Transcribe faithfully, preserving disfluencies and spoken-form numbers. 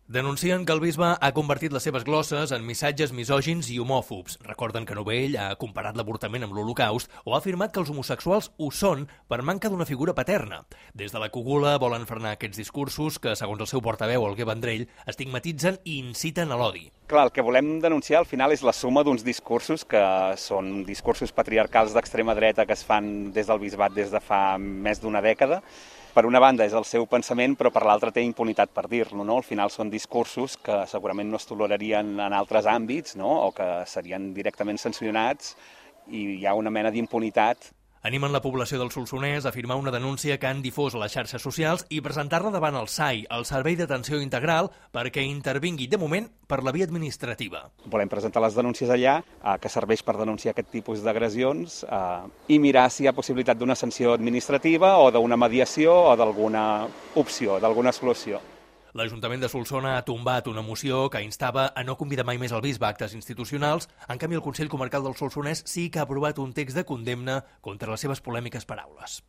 Denuncien que el bisbe ha convertit les seves glosses en missatges misògins i homòfobs. Recorden que Novell ha comparat l'avortament amb l'Holocaust o ha afirmat que els homosexuals ho són per manca d'una figura paterna. Des de la cúpula volen frenar aquests discursos que, segons el seu portaveu, Alguer Vendrell, estigmatitzen i inciten a l'odi. Clar, el que volem denunciar al final és la suma d'uns discursos que són discursos patriarcals d'extrema dreta que es fan des del bisbat des de fa més d'una dècada. Per una banda és el seu pensament, però per l'altra té impunitat per dir-lo, no? Al final són discursos que segurament no es tolerarien en altres àmbits, no? O que serien directament sancionats i hi ha una mena d'impunitat. Animen la població del Solsonès a firmar una denúncia que han difós a les xarxes socials i presentar-la davant el S A I, el Servei d'Atenció Integral, perquè intervingui, de moment, per la via administrativa. Volem presentar les denúncies allà, eh, que serveix per denunciar aquest tipus d'agressions eh, i mirar si hi ha possibilitat d'una sanció administrativa o d'una mediació o d'alguna opció, d'alguna solució. L'Ajuntament de Solsona ha tombat una moció que instava a no convidar mai més el bisbe a actes institucionals. En canvi, el Consell Comarcal del Solsonès sí que ha aprovat un text de condemna contra les seves polèmiques paraules.